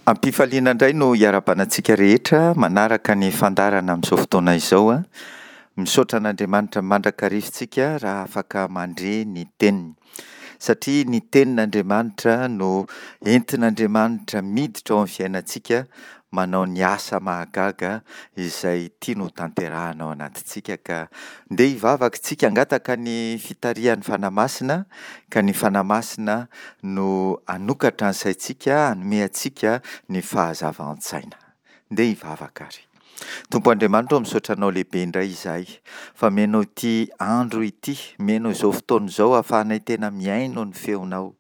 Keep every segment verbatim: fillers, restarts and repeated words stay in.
Am-pifaliana indray no hiarahabana antsika rehetra manaraka ny fandaharana amin'izao fotoana izao a. Misaotra an'Andriamanitra mandrakariva isika raha afaka mandre ny teniny. Satria ny tenin'Andriamanitra no entin'Andriamanitra miditra ao amin'ny fiainantsika manao ny asa mahagaga izay tiany ho tanterahina ao anatintsika ka ndeha hivavaka isika hangataka ny fitarihan'ny Fanahy Masina ka ny Fanahy Masina no hanokatra ny saintsika hanome antsika ny fahazavan-tsaina. Ndeha hivavaka ary. Tompo Andriamanitra ô, misaotra Anao lehibe indray izahay fa omenao ity andro ity, omenao izao fotoana izao ahafahanay tena mihaino ny feonao.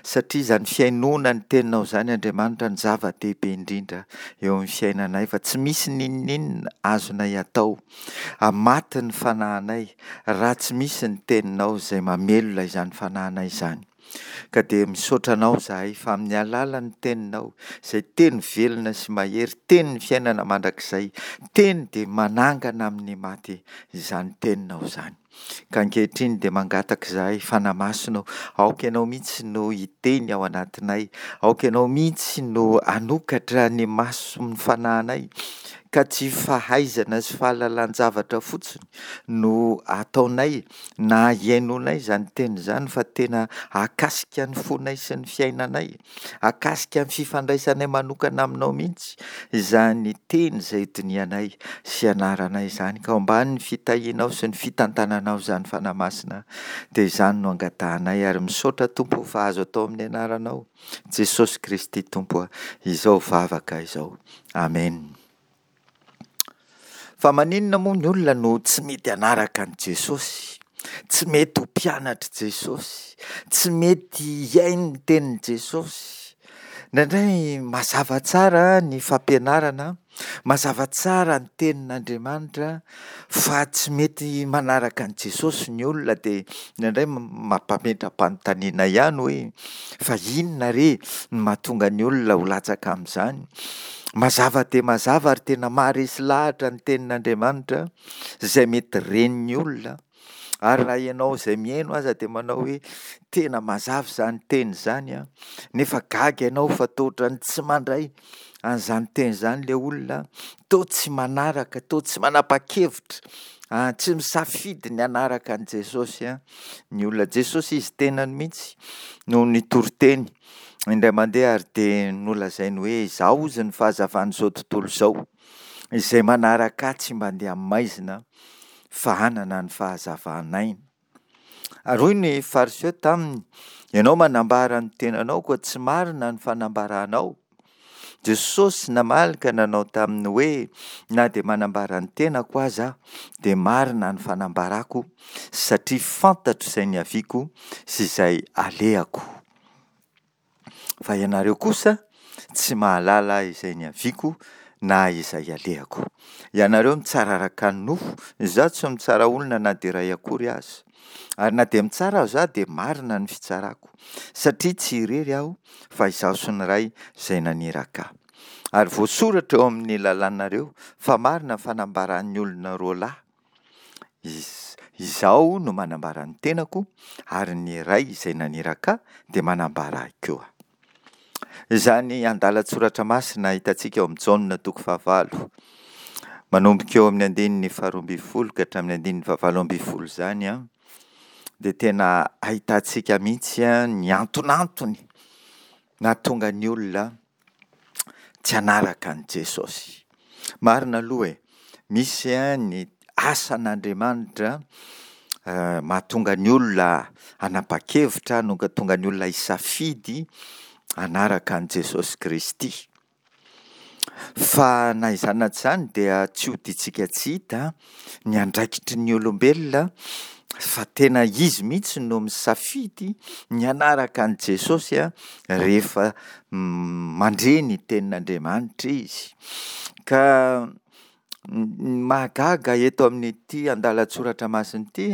Satria izany fihainoana ny teninao izany Andriamanitra no zava-dehibe indrindra eo amin'ny fiainanay fa tsy misy n'inon'inona azonay atao hamaty ny fanahinay raha tsy misy ny teninao izay mamelona izany fanahinay izany. Ka dia misaotra anao izahay fa amin'ny alalan'ny teninao izay teny velona sy mahery, tenin'ny fiainana mandrakizay, teny dia manangana amin'ny maty izany teninao izany. Ka ankehitriny dia mangataka izahay Fanahy Masina ô, aoka Ianao mihitsy no hiteny ao anatinay, aoka Ianao mihitsy no hanokatra ny mason'ny fanahinay, ka tsy fahaizana sy fahalalan-javatra fotsiny no ataonay na hihainoanay izany teny izany fa tena hahakasika ny fonay sy ny fiainanay, hahakasika ny fifandraisanay manokana aminao mihitsy izany teny izay dinihanay sy ianaranay izany. Ka ao ambanin'ny fitahianao sy ny fitantananao izany Fanahy Masina dia izany no angatahanay ary misaotra Tompo fa azo atao amin'ny anaranao Jesosy Kristy Tompo izao vavaka izao. Amen. Fa maninona moa ny olona no tsy mety hanaraka an'i Jesosy? Tsy mety ho mpianatr'i Jesosy? Tsy mety hihaino ny tenin'i Jesosy? Indraindray mazava tsara ny fampianarana, mazava tsara ny tenin'Andriamanitra fa tsy mety manaraka an'i Jesosy ny olona dia indraindray mampametra-panontaniana ihany hoe fa inona re no mahatonga ny olona ho latsaka amin'izany? Mazava dia mazava ary tena maharesy lahatra ny tenin'Andriamanitra izay mety ren'ny olona ary raha ianao izay mihaino aza dia manao hoe tena mazava izany teny izany an, nefa gaga ianao fa toa ohatran'ny tsy mandray an'izany teny izany ilay olona, toa tsy manaraka, toa tsy manapa-kevitra, ah, tsy misafidy ny hanaraka an'i Jesosy an, ny olona. Jesosy izy tenany mihitsy no nitory teny indray mandeha ary dia nolazainy hoe izaho hozy ny fahazavan'izao tontolo izao, izay manaraka ahy tsy mba handeha amin'ny maizina fa hanana ny fahazavan'aina. Ary hoy ny Fariseo taminy, ianao manambara ny tenanao koa tsy marina ny fanambaranao. Jesosy namaly ka nanao taminy hoe, na dia manambara ny tenako aza aho, dia marina ny fanambarako, satria fantatro izay niaviako sy izay alehako. Fa ianareo kosa tsy mahalala izay niaviako na izay alehako. Ianareo mitsara araka ny nofo, izaho tsy mitsara olona na dia iray akory aza. Ary na dia mitsara aza aho dia marina ny fitsarako, satria tsy irery aho fa izaho sy ny Ray izay naniraka ahy. Ary voasoratra eo amin'ny lalànareo fa marina ny fanambaran'ny olona roa lahy. Izaho no manambara ny tenako ary ny Ray izay naniraka ahy dia manambara ahy koa. Izany andalan-tsoratra masina hitantsika ao amin'ny Jaona toko fahavalo, manomboka eo amin'ny andininy faharoa ambin'ny folo ka hatramin'ny andininy fahavalo ambin'ny folo izany an, dia tena ahitantsika mihitsy ny antonantony nahatonga ny olona tsy hanaraka an'i Jesosy. Marina aloha e, misy ny asan'Andriamanitra mahatonga ny olona hanapa-kevitra, mahatonga ny olona hisafidy hanaraka an'i Jesosy Kristy. Fa na izany na tsy izany dia tsy hodintsika tsy hita ny andraikitry ny olombelona fa tena izy mihitsy no misafidy ny hanaraka an'i Jesosy rehefa mandre ny tenin'Andriamanitra izy. Ka ny mahagaga eto amin'ity andalan-tsoratra masina ity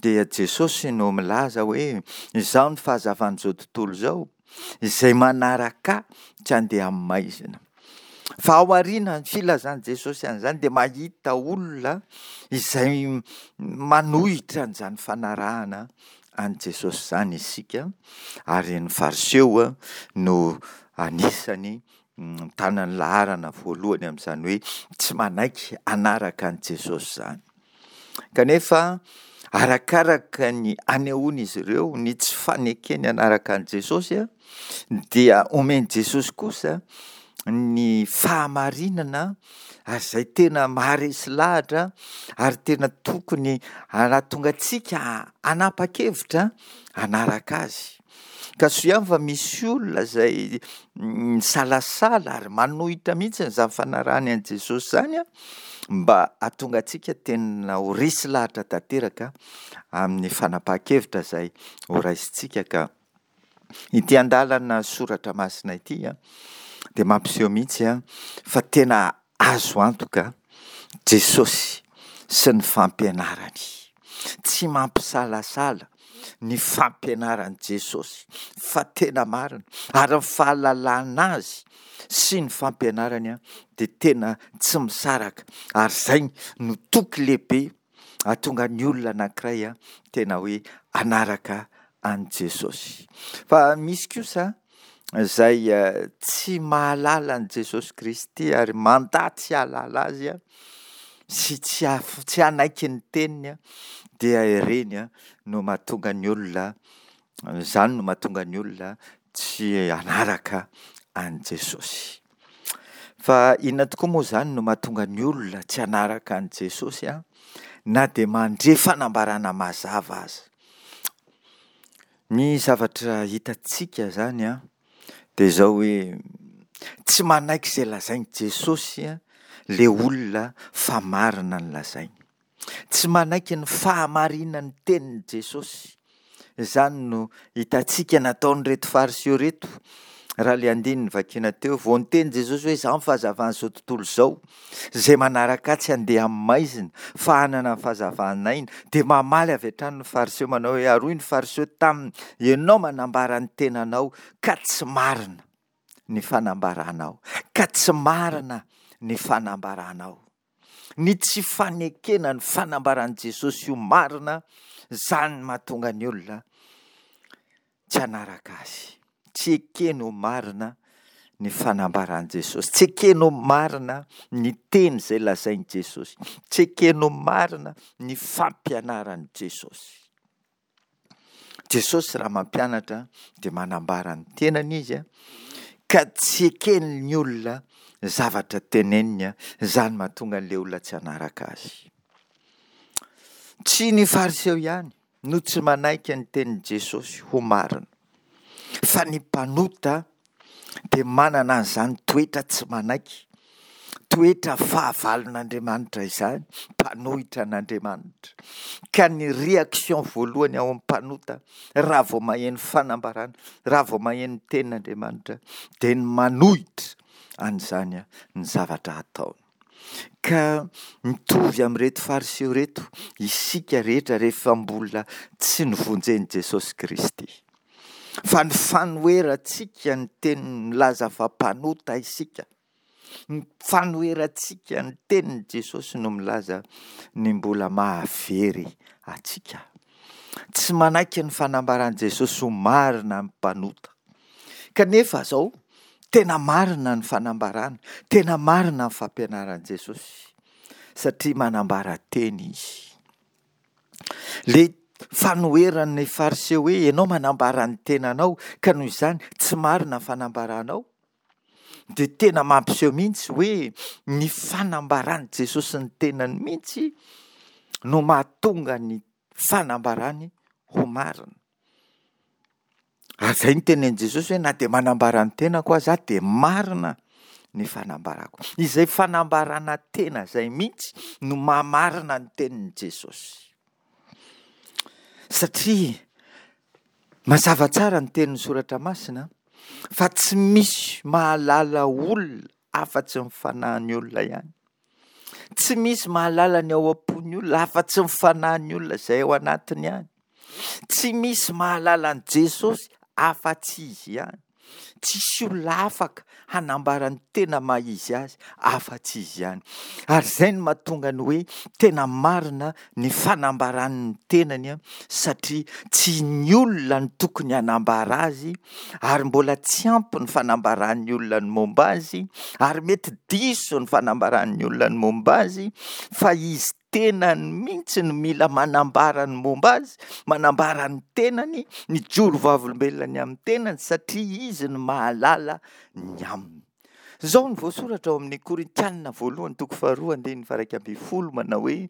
dia Jesosy no milaza hoe izaho ny fahazavan'izao tontolo izao, izay manaraka ahy tsy handeha amin'ny maizina. Fa ao aorian'ny filazan'i Jesosy an'izany dia mahita olona izay manohitra an'izany fanarahana an'i Jesosy izany isika, ary ny Fariseo no anisany mitana ny laharana voalohany amin'izany hoe tsy manaiky hanaraka an'i Jesosy izany. Kanefa arakaraka ny anehoan'izy ireo ny tsy fanekeny hanaraka an'i Jesosy dia omen'i Jesosy kosa ny fahamarinana ary izay tena maharesy lahatra ary tena tokony hahatonga antsika hanapa-kevitra hanaraka azy. Ka soa ihany fa misy olona izay misalasala ary manohitra mihitsy izany fanarahany an'i Jesosy izany an, mba hahatonga antsika tena ho resy lahatra tanteraka amin'ny fanapahan-kevitra izay horaisintsika. Ka ity andalana soratra masina ity an, dia mampiseho mihitsy an, fa tena azo antoka Jesosy sy ny fampianarany. Tsy mampisalasala ny fampianaran'i Jesosy fa tena marina, ary ny fahalalana azy sy ny fampianarany dia tena tsy misaraka, ary izay no toky lehibe hahatonga ny olona anankiray tena hoe hanaraka an'i Jesosy. Fa misy kosa izay tsy mahalala an'i Jesosy Kristy ary mandà tsy hahalala azy sy tsy tsy hanaiky ny teniny, dia ireny no mahatonga ny olona, izany no mahatonga ny olona tsy hanaraka an'i Jesosy. Fa inona tokoa moa izany no mahatonga ny olona tsy hanaraka an'i Jesosy na dia mandre fanambarana mazava aza? Ny zavatra hitantsika izany an, dia izao hoe tsy manaiky izay lazain'i Jesosy ilay olona fa marina ny lazainy. Tsy manaiky ny fahamarinan'ny tenin'i Jesosy. Izany no hitantsika nataon'ireto Fariseo ireto. Raha ilay andininy vakiana teo, vao niteny Jesosy hoe izaho ny fahazavan'izao tontolo izao, izay manaraka ahy tsy handeha amin'ny maizina fa hanana ny fahazavan'aina. Dia mamaly avy hatrany ny Fariseo manao hoe, ary hoy ny Fariseo taminy, ianao manambara ny tenanao ka tsy marina ny fanambaranao, ka tsy marina ny fanambaranao. Ny tsy fanekena ny fanambaran'i Jesosy ho marina, izany mahatonga ny olona tsy hanaraka azy. Tsy ekeny ho marina ny fanambaran'i Jesosy. Tsy ekeny ho marina ny teny izay lazain'i Jesosy. Tsy ekeny ho marina ny fampianaran'i Jesosy. Jesosy raha mampianatra dia manambara ny tenany izy, ka tsy eken'ny olona zavatra teneniny, izany mahatonga an'ilay olona tsy hanaraka azy. Tsy ny Fariseo ihany no tsy manaiky ny tenin'i Jesosy ho marina, fa ny mpanota dia manana an'izany toetra tsy manaiky, toetra fahavalon'Andriamanitra izany, mpanohitra an'Andriamanitra. Ka ny réaction voalohany ao amin'ny mpanota raha vao maheno fanambarana, raha vao maheno ny tenin'Andriamanitra, dia ny manohitra an'izany ny zavatra ataony. Ka mitovy amin'ireto Fariseo ireto isika rehetra rehefa mbola tsy novonjen'i Jesosy Kristy. Fa ny fanoherantsika ny teniny milaza fa mpanota isika, ny fanoherantsika ny tenin'i Jesosy no milaza ny mbola mahavery antsika. Tsy manaiky ny fanambaran'i Jesosy ho marina ny mpanota. Kanefa izao, tena marina ny fanambarana, tena marina ny fampianaran'i Jesosy, satria manambara teny izy. Le fanoheran'ny Fariseo hoe ianao manambara ny tenanao ka noho izany tsy marina ny fanambaranao, dia tena mampiseho mihitsy hoe ny fanambaran'i Jesosy ny tenany mihitsy no mahatonga ny fanambarany ho marina. Ary izay no tenenin'i Jesosy hoe na dia manambara ny tenako aza aho dia marina ny fanambarako. Izay fanambarana tena izay mihitsy no mahamarina ny tenin'i Jesosy. Satria mazava tsara ny tenin'ny soratra masina fa tsy misy mahalala olona afa-tsy ny fanahin'ny olona ihany. Tsy misy mahalala ny ao am-pon'ny olona afa-tsy ny fanahin'ny olona izay ao anatiny ihany. Tsy misy mahalala an'i Jesosy afa-tsy izy ihany. Tsisy olona afaka hanambara ny tena maha izy azy afa-tsy izy ihany. Ary izay no mahatonga ny hoe tena marina ny fanambarany ny tenany, satria tsy ny olona no tokony hanambara azy, ary mbola tsy ampy ny fanambaran'ny olona ny momba azy, ary mety diso ny fanambaran'ny olona ny momba azy, fa izy tenany mihitsy no mila manambara ny momba azy, manambara ny tenany, mijoro vavolombelona ny amin'ny tenany, satria izy no mahalala ny aminy. Izao no voasoratra ao amin'ny Korintiana voalohany toko faharoa andininy faha-iraika ambin'ny folo manao hoe: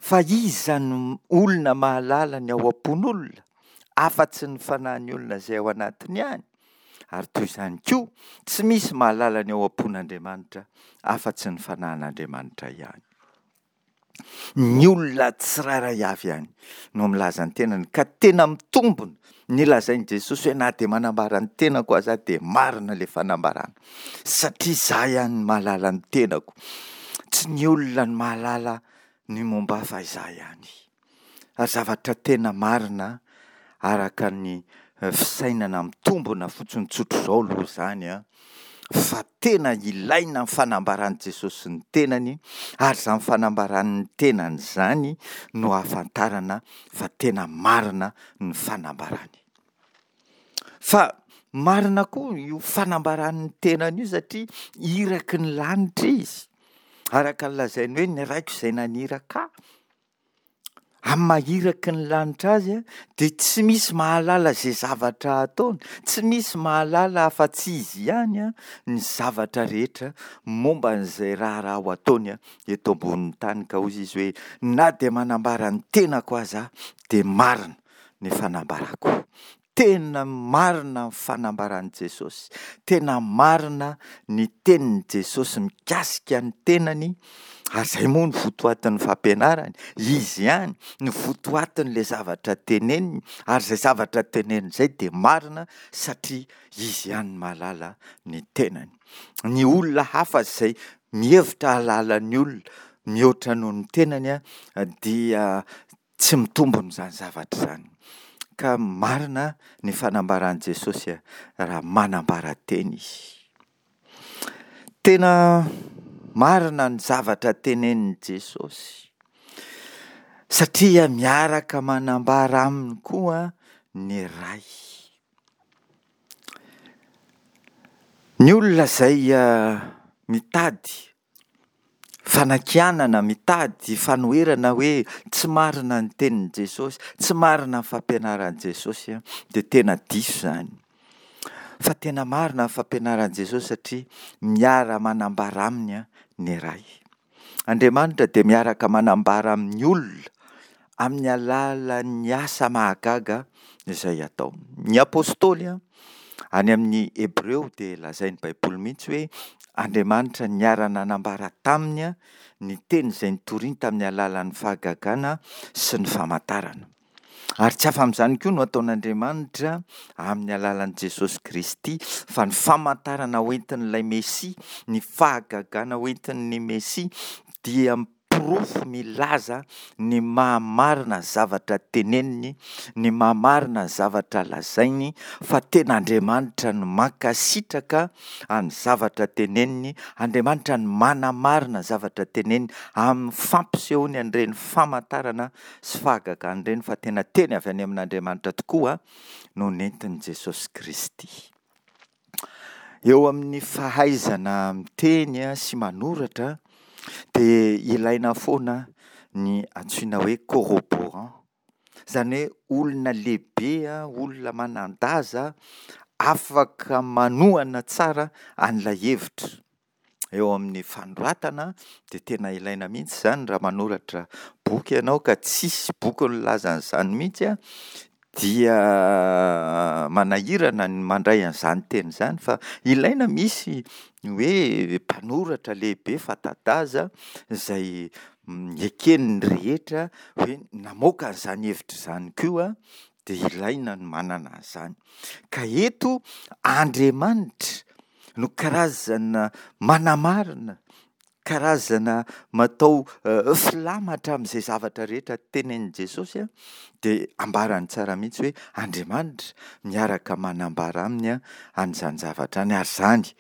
Fa iza no olona mahalala ny ao am-pon'olona afa-tsy ny fanahin'ny olona izay ao anatiny ihany? Ary toy izany koa, tsy misy mahalala ny ao am-pon'Andriamanitra afa-tsy ny fanahin'Andriamanitra ihany. Ny olona tsirairay avy ihany no milaza ny tenany, ka tena mitombina ny lazain'i Jesosy hoe na dia manambara ny tenako aza aho dia marina ilay fanambarana, satria izaho ihany no mahalala ny tenako, tsy ny olona no mahalala ny momba ahy fa izaho ihany. Ary zavatra tena marina araka ny fisainana mitombina fotsiny tsotr'izao aloha izany an, fa tena ilaina ny fanambaran'i Jesosy ny tenany, ary izany fanambarany ny tenany izany no ahafantarana fa tena marina ny fanambarany. Fa marina koa io fanambarany ny tenany io satria iraky ny lanitra izy, araka ny lazainy hoe ny Raiko izay naniraka ahy. Amin'ny maha iraky ny lanitra azy dia tsy misy mahalala izay zavatra ataony, tsy misy mahalala afa-tsy izy ihany ny zavatra rehetra momba an'izay raharaha ho ataony eto ambonin'ny tany. Ka hoy izy hoe na dia manambara ny tenako aza aho dia marina ny fanambarako. Tena marina ny fanambaran'i Jesosy, tena marina ny tenin'i Jesosy mikasika ny tenany, ary izay moa no votoatin'ny fampianarany, izy ihany no votoatin'ilay zavatra teneniny, ary izay zavatra teneniny izay dia marina satria izy ihany no mahalala ny tenany. Ny olona hafa izay mihevitra hahalala ny olona mihoatra noho ny tenany dia tsy mitombina izany zavatra izany. Ka marina ny fanambaran'i Jesosy raha manambara teny izy. Tena marina ny zavatra tenenin'i Jesosy, satria miaraka manambara aminy koa ny Ray. Ny olona izay mitady fanakianana, mitady fanoherana hoe tsy marina ny tenin'i Jesosy, tsy marina ny fampianaran'i Jesosy, dia tena diso izany. Fa tena marina ny fampianaran'i Jesosy satria miara-manambara aminy ny Ray. Andriamanitra dia miaraka manambara amin'ny olona amin'ny alalan'ny asa mahagaga izay ataony. Ny apostoly any amin'ny Hebreo dia lazain'ny Baiboly mihitsy hoe Andriamanitra niara-nanambara taminy ny teny izay nitoriany tamin'ny alalan'ny fahagagana sy ny famantarana. Ary tsy afa amin'izany koa no ataon'Andriamanitra amin'ny alalan'i Jesosy Kristy, fa ny famantarana hoentin'ilay Mesia, ny fahagagana hoentin'ny Mesia dia porofo milaza ny maha-marina ny zavatra teneniny, ny maha-marina ny zavatra lazainy, fa tena Andriamanitra no mankasitraka ny zavatra teneniny, Andriamanitra no manamarina ny zavatra teneniny amin'ny fampisehoany an'ireny famantarana sy fahagagana ireny, fa tena teny avy any amin'Andriamanitra tokoa no nentin'i Jesosy Kristy. Eo amin'ny fahaizana miteny sy manoratra dia ilaina foana ny antsoina hoe corroborant, izany hoe olona lehibe, olona manan-daza afaka manohana tsara an'ilay hevitra. Eo amin'ny fanoratana dia tena ilaina mihitsy izany raha manoratra boky ianao ka tsisy boky nilaza an'izany mihitsy an, dia manahirana ny mandray an'izany teny izany fa ilaina misy ny hoe mpanoratra lehibe fanta-daza izay eken'ny rehetra hoe namoaka an'izany hevitra izany koa dia ilaina ny manana an'izany. Ka eto Andriamanitra no karazana manamarina karazana matao filamatra amin'izay zavatra rehetra tenenin'i Jesosy, dia ambarany tsara mihitsy hoe Andriamanitra miaraka manambara aminy an'izany zavatra izany, ary izany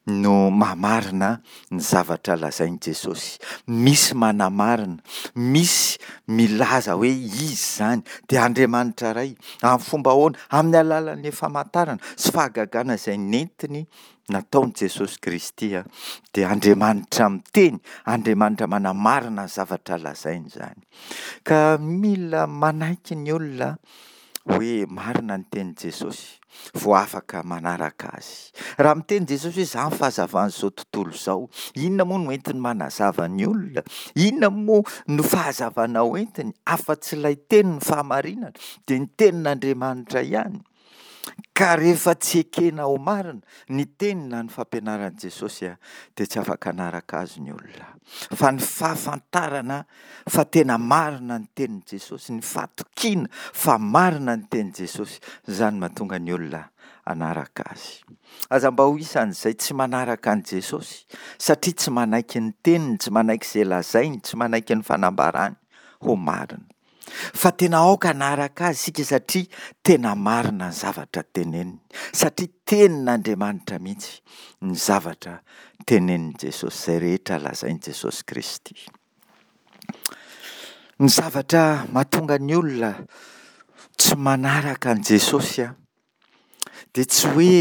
no mahamarina ny zavatra lazain'i Jesosy. Misy manamarina, misy milaza hoe Izy izany, dia Andriamanitra Ray. Amin'ny fomba ahoana? Amin'ny alalan'ny famantarana sy fahagagana izay nentiny nataon'i Jesosy Kristy, dia Andriamanitra miteny, Andriamanitra manamarina ny zavatra lazainy izany. Ka mila manaiky ny olona hoe marina ny tenin'i Jesosy vao afaka manaraka azy. Raha miteny Jesosy hoe izaho ny fahazavan'izao tontolo izao, inona moa no entiny manazava ny olona? Inona moa no fahazavana hoentiny afa-tsy ilay tenin'ny fahamarinana, dia ny tenin'Andriamanitra ihany? Ka rehefa tsy ekena ho marina ny teny na ny fampianaran'i Jesosy dia tsy afaka hanaraka azy ny olona. Fa ny fahafantarana fa tena marina ny tenin'i Jesosy, ny fahatokiana fa marina ny tenin'i Jesosy, izany no mahatonga ny olona hanaraka azy. Aza mba ho isan'izay tsy manaraka an'i Jesosy satria tsy manaiky ny teniny, tsy manaiky izay lazainy, tsy manaiky ny fanambarany ho marina. Fa tena aoka hanaraka azy isika satria tena marina ny zavatra teneniny, satria tenin'Andriamanitra mihitsy ny zavatra tenenin'i Jesosy, izay rehetra lazain'i Jesosy Kristy. Ny zavatra mahatonga ny olona tsy manaraka an'i Jesosy dia tsy hoe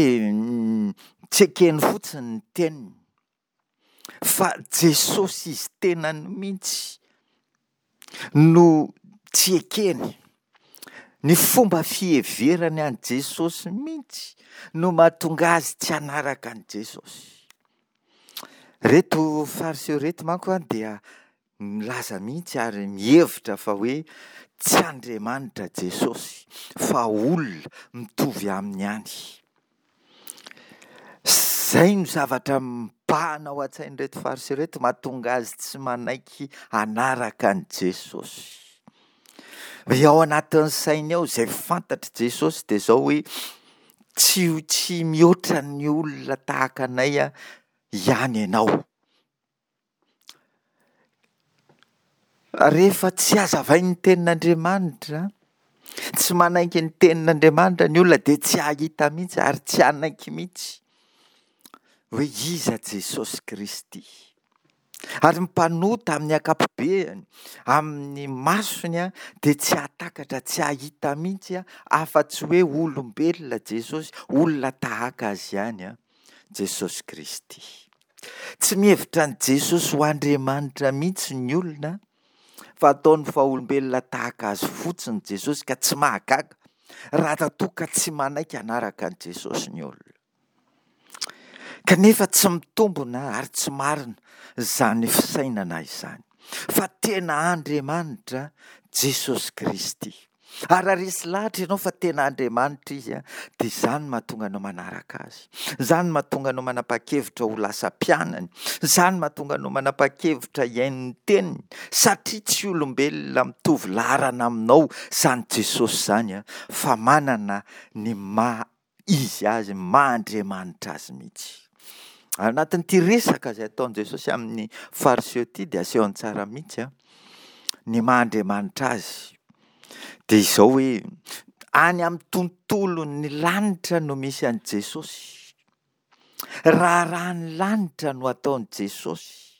tsy ekeny fotsiny ny teniny, fa Jesosy izy tenany mihitsy no tsy ekeny. Ny fomba fiheverany an'i Jesosy mihitsy no mahatonga azy tsy hanaraka an'i Jesosy. Ireto Fariseo ireto manko dia milaza mihitsy ary mihevitra fa hoe tsy Andriamanitra Jesosy fa olona mitovy aminy ihany. Izay no zavatra mibahana ao an-tsain'ireto Fariseo ireto, mahatonga azy tsy manaiky hanaraka an'i Jesosy. Hoe ao anatin'ny sainy ao izay fantatr'i Jesosy dia izao hoe tsy, tsy mihoatra ny olona tahaka anay ihany ianao. Rehefa tsy hazavain'ny tenin'Andriamanitra, tsy manaiky ny tenin'Andriamanitra ny olona dia tsy hahita mihitsy ary tsy hanaiky mihitsy hoe iza Jesosy Kristy. Ary ny mpanota amin'ny ankapobeany, amin'ny masony dia tsy hahatakatra, tsy hahita mihitsy afa-tsy hoe olombelona Jesosy, olona tahaka azy ihany Jesosy Kristy. Tsy mihevitra an'i Jesosy ho Andriamanitra mihitsy ny olona, fa ataony fa olombelona tahaka azy fotsiny Jesosy, ka tsy mahagaga raha toa ka tsy manaiky hanaraka an'i Jesosy ny olona. Kanefa tsy mitombina ary tsy marina izany fisainana izany, fa tena Andriamanitra Jesosy Kristy. Ary raha resy lahatra ianao fa tena Andriamanitra Izy, dia izany no mahatonga anao manaraka Azy. Izany no mahatonga anao manapa-kevitra ho lasa mpianany. Izany no mahatonga anao manapa-kevitra hihaino ny teniny, satria tsy olombelona mitovy laharana aminao izany Jesosy izany, fa manana ny maha Izy Azy, ny maha Andriamanitra Azy mihitsy. Ao anatin'ity resaka izay ataon'i Jesosy amin'ny Fariseo ity dia asehony tsara mihitsy ny maha Andriamanitra Azy. Dia izao hoe any amin'ny tontolon'ny lanitra no misy an'i Jesosy. Raharahan'ny lanitra no ataon'i Jesosy.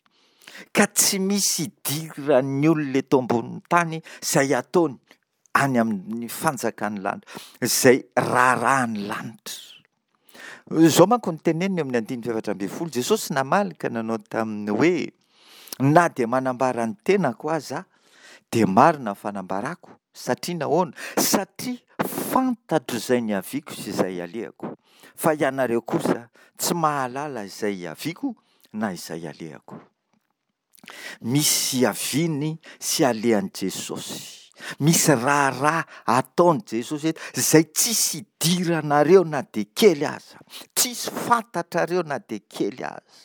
Ka tsy misy idiran'ny olona eto ambonin'ny tany izay ataony any amin'ny fanjakan'ny lanitra, izay raharahan'ny lanitra. Izao manko no teneniny eo amin'ny andininy fahefatra ambin'ny folo, Jesosy namaly ka nanao taminy hoe, na dia manambara ny tenako aza aho, dia marina ny fanambarako, satria nahoana? Satria fantatro izay niaviako sy izay alehako, fa ianareo kosa tsy mahalala izay hiaviako na izay alehako. Misy hiaviany sy alehan'i Jesosy. Misy raharaha ataon'i Jesosy eto izay tsisy idiranareo na dia kely aza. Tsisy fantatrareo na dia kely aza.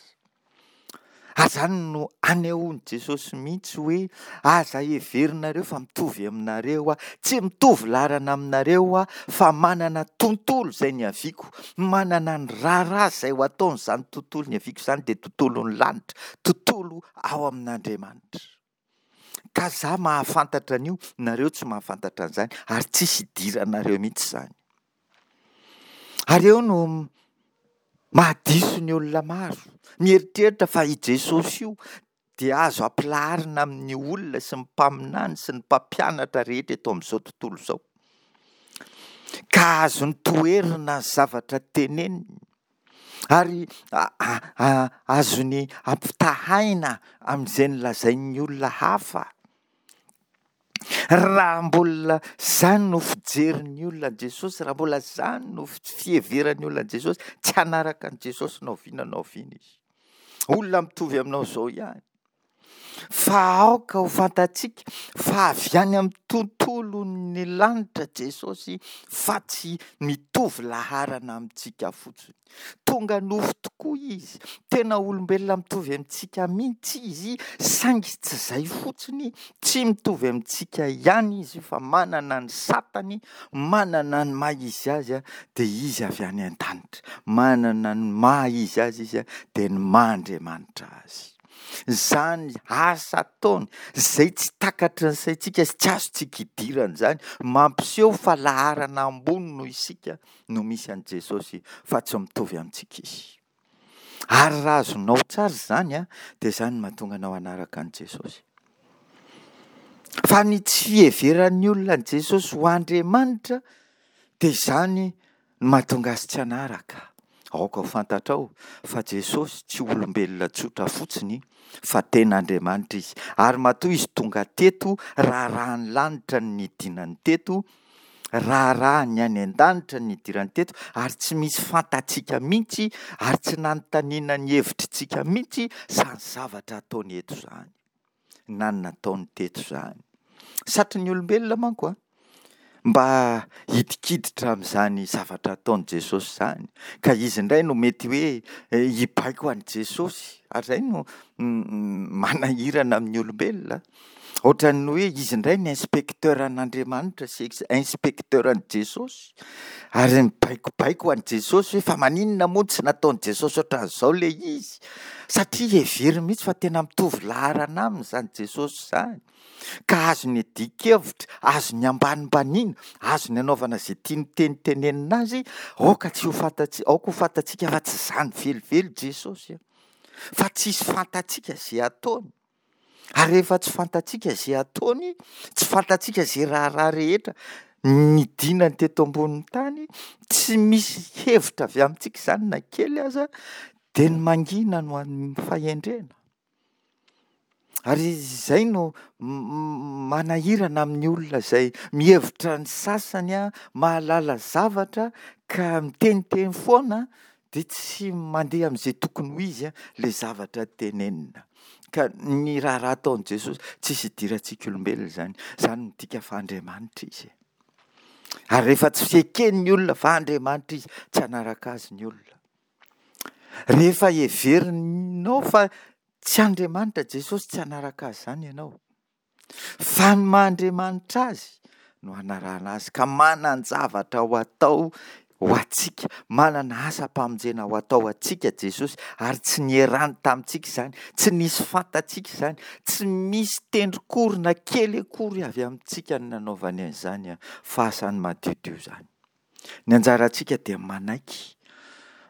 Ary izany no anehoan'i Jesosy mihitsy hoe aza heverinareo fa mitovy aminareo aho, tsy mitovy laharana aminareo aho fa manana tontolo izay niaviako, manana ny raharaha izay ho ataon'izany tontolo niaviako izany dia tontolon'ny lanitra, tontolo ao amin'Andriamanitra. Ka za mahafantatra an'io, nareo tsy mahafantatra an'izany ary tsisy idiranareo mihitsy izany. Ary eo no mahadiso ny olona maro, mieritreritra fa i Jesosy io dia azo ampilaharina amin'ny olona sy ny mpaminany sy ny mpampianatra rehetra eto amin'izao tontolo izao. Ka azony toherina ny zavatra teneniny ary azony ampitahaina amin'izay nolazain'ny olona hafa. Raha mbola izany no fijerin'ny olona an'i Jesosy, raha mbola izany no fiheveran'ny olona an'i Jesosy, tsy hanaraka an'i Jesosy na oviana na oviana izy. Olona mitovy aminao izao ihany. Fa aoka ho fantatsika fa avy any amin'ny tontolon'ny lanitra Jesosy fa tsy mitovy laharana amintsika fotsiny. Tonga nofo tokoa izy, tena olombelona mitovy amintsika mihitsy izy, saingy tsy izay fotsiny, tsy mitovy amintsika ihany izy fa manana ny satany, manana ny maha izy azy, dia izy avy any an-danitra. Manana ny maha izy azy izy, dia ny maha Andriamanitra azy. Izany asa ataony, izay tsy takatry ny saintsika sy tsy azontsika idirana izany, mampiseho fa laharana ambony noho isika no misy an'i Jesosy fa tsy mitovy amintsika izy. Ary raha azonao tsara izany an, dia izany no mahatonga anao hanaraka an'i Jesosy. Fa ny tsy fiheveran'ny olona an'i Jesosy ho Andriamanitra dia izany no mahatonga azy tsy hanaraka. Aoka ho fantatrao fa Jesosy tsy olombelona tsotra fotsiny fa tena Andriamanitra izy. Ary matoa izy tonga teto, raharahan'ny lanitra ny nidinany teto, raharaha ny any an-danitra ny nidirany teto ary tsy misy fantatsika mihitsy ary tsy nanontaniana ny hevitritsika mihitsy izany zavatra ataony eto izany na ny nataony teto izany. Satrin'ny olombelona manko a, mba hidikiditra amin'izany zavatra ataon'i Jesosy izany ka izy indray no mety hoe hibaiko an'i Jesosy ary izay no manahirana amin'ny olombelona. Ohatran'ny hoe izy indray ny inspecteur an'Andriamanitra sy inspecteur an'i Jesosy ary mibaikobaiko an'i Jesosy hoe fa maninona moa tsy nataon'i Jesosy ohatran'izao ilay izy satria heveriny mihitsy fa tena mitovy laharana aminy izany Jesosy izany ka azony adin-kevitra, azony ambanimbaniana, azony anaovana izay tiany tenitenenina azy. Aoka tsy ho fantatsika, aoka ho fantatsika fa tsy izany velively Jesosy fa tsisy fantatsika izay ataony. Ary rehefa tsy fantatsika izay ataony, tsy fantatsika izay raharaha rehetra nidinany teto ambonin'ny tany, tsy misy hevitra avy amintsika izany na kely aza, dia ny mangina no an'ny fahendrena. Ary izay no manahirana amin'ny olona izay mihevitra ny sasany mahalala zavatra ka miteniteny foana dia tsy mandeha amin'izay tokony ho izy ilay zavatra tenenina. Ka ny raharaha ataon'i Jesosy, tsisy idirantsika olombelona izany. Izany midika fa Andriamanitra izy. Ary rehefa tsy fieken'ny olona fa Andriamanitra izy, tsy hanaraka azy ny olona. Rehefa heverinao fa tsy Andriamanitra Jesosy, tsy hanaraka azy izany ianao. Fa ny maha Andriamanitra azy no hanarahana azy ka manan-javatra ho atao ho antsika, manana asam-pamonjena ho atao ho antsika Jesosy ary tsy nierany tamintsika izany, tsy nisy fantatsika izany, tsy misy tendrok'orona kely akory avy amintsika ny nanaovany an'izany fa asany madiodio izany. Ny anjarantsika dia manaiky,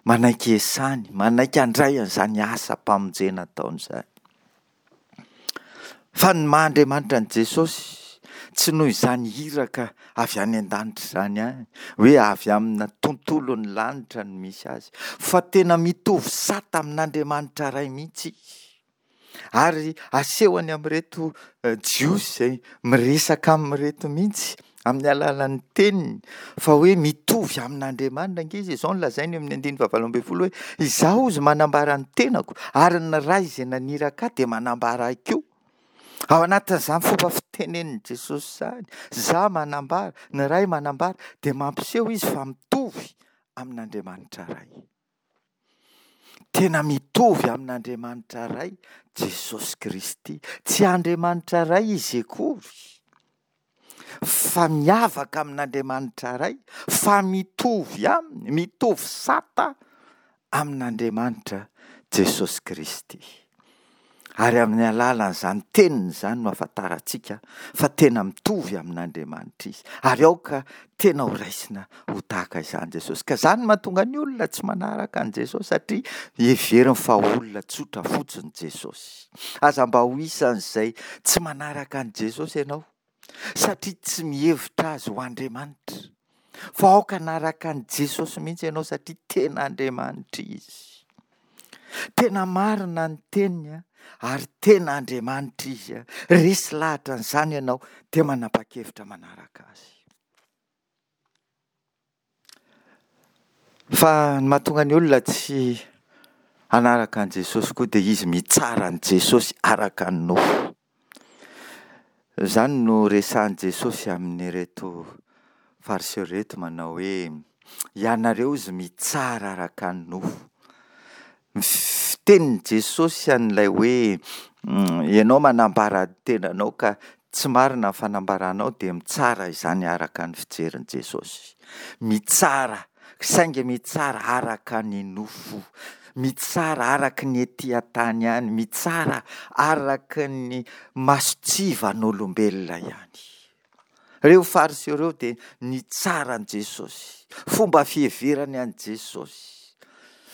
manaiky esany, manaiky handray an'izany asam-pamonjena ataony izany. Fa ny maha Andriamanitra an'i Jesosy, tsy noho izany iraka avy any an-danitra izany ihany, hoe avy amina tontolon'ny lanitra no misy azy, fa tena mitovy sata amin'Andriamanitra Ray mihitsy izy. Ary asehony amin'ireto Jiosy izay miresaka amin'ireto mihitsy amin'ny alalan'ny teniny fa hoe mitovy amin'Andriamanitra ange izy. Izao no lazainy eo amin'ny andininy fahavalo ambin'ny folo hoe izaho hozy manambara ny tenako ary ny Ray izay naniraka ahy dia manambara ahy koa. Ao anatin'izany fomba fitenenin'i Jesosy izany, izaho manambara, ny Ray manambara, dia mampiseho izy fa mitovy amin'Andriamanitra Ray. Tena mitovy amin'Andriamanitra Ray Jesosy Kristy. Tsy Andriamanitra Ray Izy akory, fa miavaka amin'Andriamanitra Ray, fa mitovy aminy, mitovy sata amin'Andriamanitra Jesosy Kristy. Ary amin'ny alalan'izany teniny izany no ahafantarantsika fa tena mitovy amin'Andriamanitra Izy. Ary aoka tena ho raisina ho tahaka izany Jesosy. Ka izany no mahatonga ny olona tsy manaraka an'i Jesosy, satria heveriny fa olona tsotra fotsiny Jesosy. Aza mba ho isan'izay tsy manaraka an'i Jesosy ianao, satria tsy mihevitra Azy ho Andriamanitra. Fa aoka hanaraka an'i Jesosy mihitsy ianao, satria tena Andriamanitra Izy. Tena marina ny teniny ary tena Andriamanitra Izy. Resy lahatra an'izany ianao dia manapa-kevitra manaraka Azy. Fa ny mahatonga ny olona tsy hanaraka an'i Jesosy koa dia izy mitsara an'i Jesosy araka ny nofo. Izany no resahin'i Jesosy amin'ireto Fariseo ireto manao hoe, ianareo izy mitsara araka ny nofo. Ny fitenin'i Jesosy an'ilay hoe, ianao manambara ny tenanao ka tsy marina ny fanambaranao dia mitsara izany araka ny fijerin'i Jesosy. Mitsara, saingy mitsara araka ny nofo, mitsara araka ny ety an-tany ihany, mitsara araka ny mason-tsivan'olombelona ihany. Ireo Fariseo ireo dia nitsara an'i Jesosy, fomba fiheverany an'i Jesosy,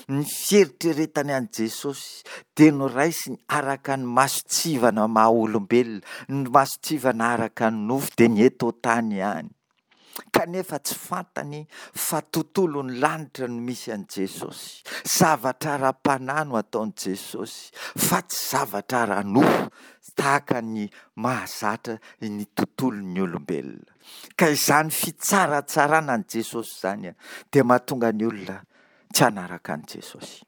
ny fieritreretany an'i Jesosy dia noraisiny araka ny mason-tsivana maha olombelona, ny mason-tsivana araka ny nofo dia ny eto an-tany ihany. Kanefa tsy fantany fa tontolon'ny lanitra no misy an'i Jesosy. Zavatra ara-panahy no ataon'i Jesosy fa tsy zavatra ara-nofo tahaka ny mahazatra ny tontolon'ny olombelona. Ka izany fitsaratsarana an'i Jesosy izany dia mahatonga ny olona tsy hanaraka an'i Jesosy.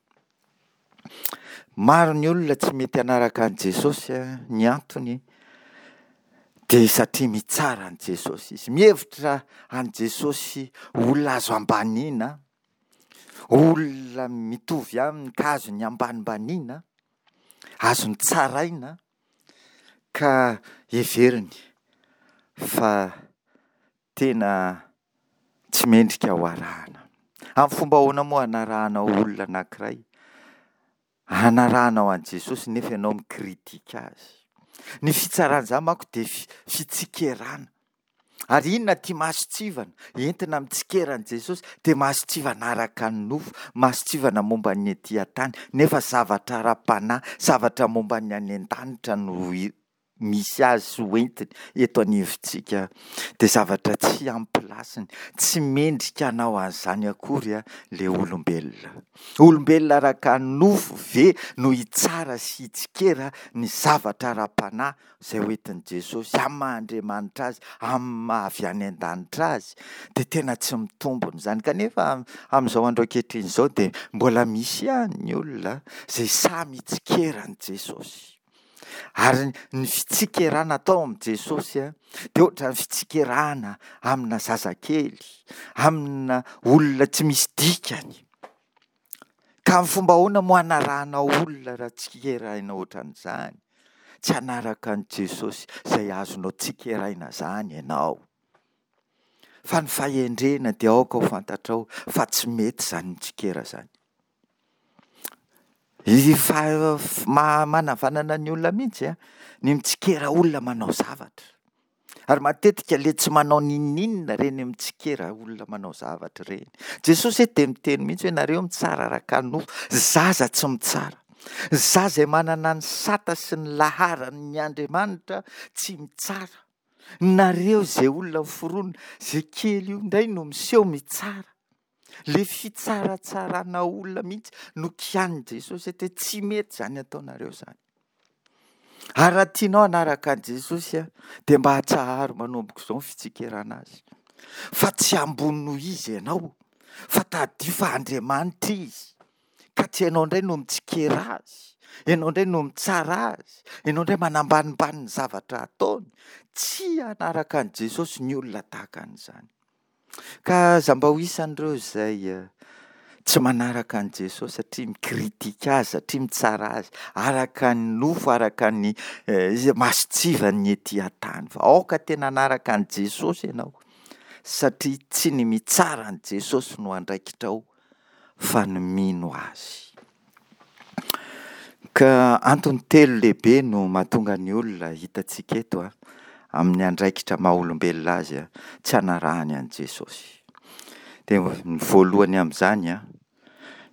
Maro ny olona tsy mety hanaraka an'i Jesosy, ny antony dia satria mitsara an'i Jesosy izy. Mihevitra an'i Jesosy ho olona azo ambaniana, olona mitovy aminy ka azony ambanimbaniana, azony tsaraina, ka heveriny fa tena tsy mendrika ho arahana. Amin'ny fomba ahoana moa hanarahanao olona anankiray? Hanarahanao an'i Jesosy nefa ianao mikritika azy. Ny fitsarana izany manko dia fi-, fitsikerana. Ary inona ity mason-tsivana entina mitsikera an'i Jesosy? Dia mason-tsivana araka ny nofo, mason-tsivana momba ny ety an-tany, nefa zavatra ara-panahy, zavatra momba ny any an-danitra no i-, misy azy sy hoentiny eto anivontsika. Dia zavatra tsy ampilasiny, tsy mendrika hanao an'izany akory a, le olombelona. Olombelona araka ny nofo ve no hitsara sy hitsikera ny zavatra ara-panahy izay hoentin'i Jesosy amin'ny maha Andriamanitra azy, amin'ny maha avy any an-danitra azy? Dia tena tsy mitombina izany. Kanefa amin'izao andro ankehitriny izao dia mbola misy ihany ny olona izay samy hitsikera an'i Jesosy. Ary ny fitsikerana atao amin'i Jesosy a, dia ohatran'ny fitsikerana amina zazakely, amina olona tsy misy dikany. Ka amin'ny fomba ahoana moa hanarahanao olona raha tsikeraina ohatran'izany? Tsy hanaraka an'i Jesosy izay azonao tsikeraina izany ianao. Fa ny fahendrena dia aoka ho fantatrao fa tsy mety izany mitsikera izany. Izy fa-, ma-, manavanana ny olona mihitsy a, ny mitsikera olona manao zavatra. Ary matetika le tsy manao n'inon'inona ireny mitsikera olona manao zavatra ireny. Jesosy eto dia miteny mihitsy hoe nareo mitsara araka ny nofo, zaza tsy mitsara. Zaza izay manana ny sata sy ny laharan'ny Andriamanitra tsy mitsara. Nareo izay olona miforona, izay kely io indray no miseho mitsara. Le fitsaratsarana olona mihitsy no kianin'i Jesosy eto hoe tsy mety izany ataonareo izany. Ary raha tianao hanaraka an'i Jesosy a, dia mba atsaharo manomboka izao ny fitsikerana azy. Fa tsy ambony noho izy ianao, fa tadidio fa Andriamanitra izy. Ka tsy ianao indray no mitsikera azy, ianao indray no mitsara azy, ianao indray manambanimbany ny zavatra ataony. Tsy hanaraka an'i Jesosy ny olona tahaka an'izany. Ka aza mba ho isan'ireo izay, eh, Tsy manaraka an'i Jesosy satria mi-critique azy, satria mitsara azy araka ny nofo, araka ny mason-tsivan'ny ety an-tany. Fa aoka tena hanaraka an'i Jesosy ianao satria tsy ny mitsara an'i Jesosy no andraikitrao fa ny mino azy. Ka antony telo lehibe no mahatonga ny olona hitantsika eto an, amin'ny andraikitra maha olombelona azy an, tsy hanarahany an'i Jesosy. Dia ny voalohany amin'izany an,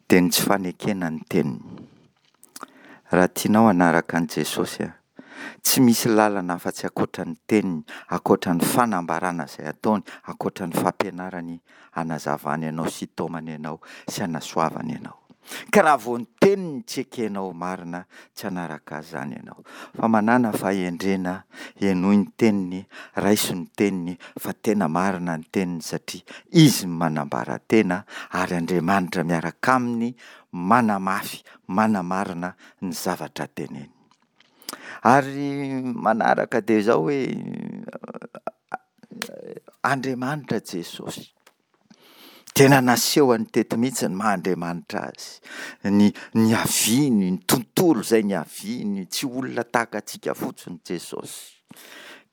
dia ny tsy fanekena ny teniny. Raha tianao hanaraka an'i Jesosy an, tsy misy lalana afa-tsy ankoatra ny teniny, ankoatra ny fanambarana izay ataony, ankoatra ny fampianarany hanazavany anao sy hitaomany anao sy hanasoavany anao. Ka raha vao ny teniny tsy ekenao marina, tsy hanaraka azy izany ianao. Fa manàna fahendrena, henoy ny teniny, raiso ny teniny fa tena marina ny teniny satria izy no manambara tena ary Andriamanitra miaraka aminy manamafy, manamarina ny zavatra teneniny. Ary manaraka dia izao hoe Andriamanitra Jesosy. Tena nasehony teto mihitsy ny maha Andriamanitra azy, ny niaviany, ny tontolo izay niaviany, tsy olona tahaka antsika fotsiny Jesosy.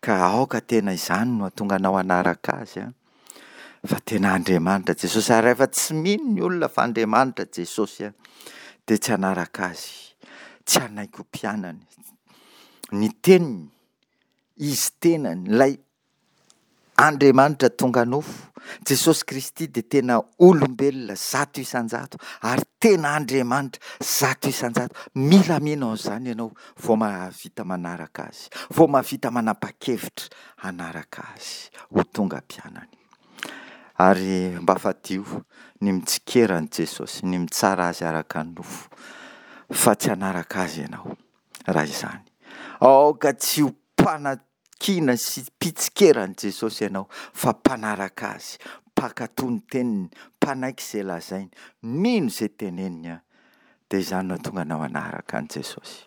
Ka aoka tena izany no hahatonga anao hanaraka azy an, fa tena Andriamanitra Jesosy. Ary rehefa tsy mino ny olona fa Andriamanitra Jesosy an, dia tsy hanaraka azy, tsy hanaiky ho mpianany. Ny teniny, izy tenany, ilay Andriamanitra tonga nofo, Jesosy Kristy dia tena olombelona zato isan-jato ary tena Andriamanitra zato isan-jato. Mila mino an'izany ianao vao mahavita manaraka azy, vao mahavita manapa-kevitra hanaraka azy ho tonga mpianany. Ary mba fadio ny mitsikera an'i Jesosy, ny mitsara azy araka ny nofo, fa tsy hanaraka azy ianao raha izany. Aoka tsy ho mpana kiana sy mpitsikera an'i Jesosy ianao fa mpanaraka Azy, mpankatò ny teniny, mpanaiky izay lazainy, mino izay teneniny, dia izany no hahatonga anao hanaraka an'i Jesosy.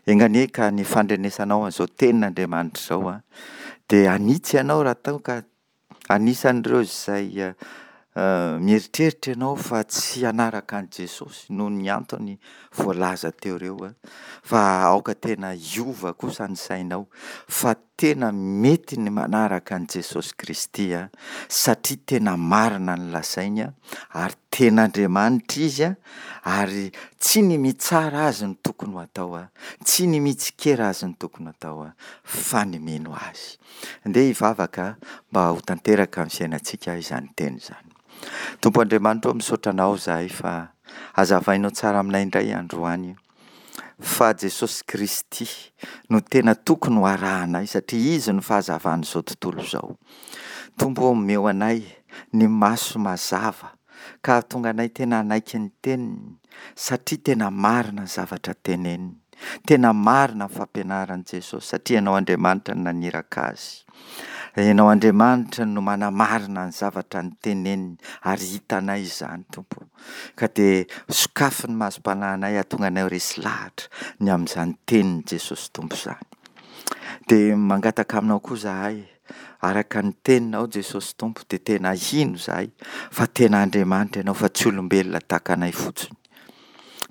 Enga anie ka ny fandrenesanao an'izao tenin'Andriamanitra izao dia hanitsy anao raha toa ka anisan'ireo izay mieritreritra ianao fa tsy hanaraka an'i Jesosy noho ny antony voalaza teo ireo, fa aoka tena hiova kosa ny sainao fa tena mety ny manaraka an'i Jesosy Kristy satria tena marina ny lazainy ary tena Andriamanitra Izy ary tsy ny mitsara Azy no tokony ho atao, tsy ny mitsikera Azy no tokony ho atao fa ny mino Azy. Ndeha hivavaka mba ho tanteraka amin'ny fiainantsika izany teny izany. Tompo Andriamanitra ô, misaotra Anao izahay fa hazavainao tsara aminay indray androany fa Jesosy Kristy no tena tokony ho arahanay satria Izy no fahazavan'izao tontolo izao. Tompo ô, omeo anay ny maso mazava ka hahatonga anay tena hanaiky ny teniny satria tena marina ny zavatra teneniny. Tena marina ny fampianaran'i Jesosy satria Ianao Andriamanitra no naniraka Azy. Ianao Andriamanitra no manamarina ny zavatra noteneniny ary hitanay izany Tompo. Ka dia sokafy ny masom-panahinay hahatonga anay ho resy lahatra ny amin'izany tenin'i Jesosy Tompo izany. Dia mangataka aminao koa izahay, araka ny teninao Jesosy Tompo dia tena hino izahay fa tena Andriamanitra Ianao fa tsy olombelona tahaka anay fotsiny.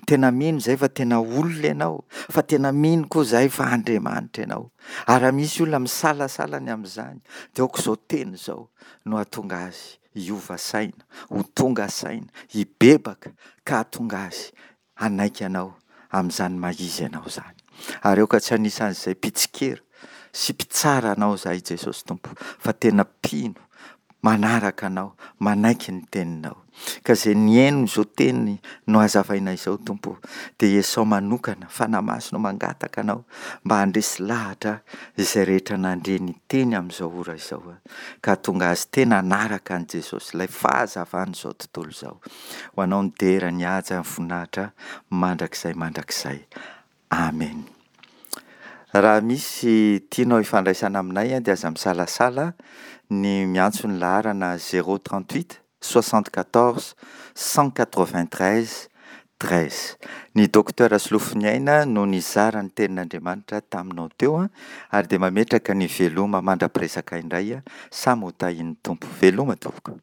Tena mino izahay fa tena olona Ianao, fa tena mino koa izahay fa Andriamanitra Ianao. Ary raha misy olona misalasala ny amin'izany, dia aoka izao teny izao no hahatonga azy hiova saina, ho tonga saina, hibebaka ka hahatonga azy hanaiky Anao amin'izany maha izy Anao izany. Ary aoka tsy anisan'izay mpitsikera sy mpitsara Anao izahay Jesosy Tompo, fa tena mpino manaraka Anao, manaiky ny Teninao. Ka izay nihaino izao teny nohazavaina izao, Tompo ô, dia Esao manokana, Fanahy Masina ô, mangataka Anao mba handresy lahatra izay rehetra nandre ny teny amin'izao ora izao, ka hahatonga azy tena hanaraka an'i Jesosy, ilay fahazavan'izao tontolo izao. Ho Anao ny dera, ny haja, ny voninahitra, mandrakizay mandrakizay. Amen. Raha misy tianao hifandraisana aminay dia aza misalasala ny miantso ny laharana zéro trente huit soixante quatorze cent quatre vingt treize treize. Ny Docteur Solofoniaina no nizara ny tenin'Andriamanitra taminao teo ary dia mametraka ny veloma mandra-piresaka indray samy ho tahian'ny Tompo. Veloma tompoko.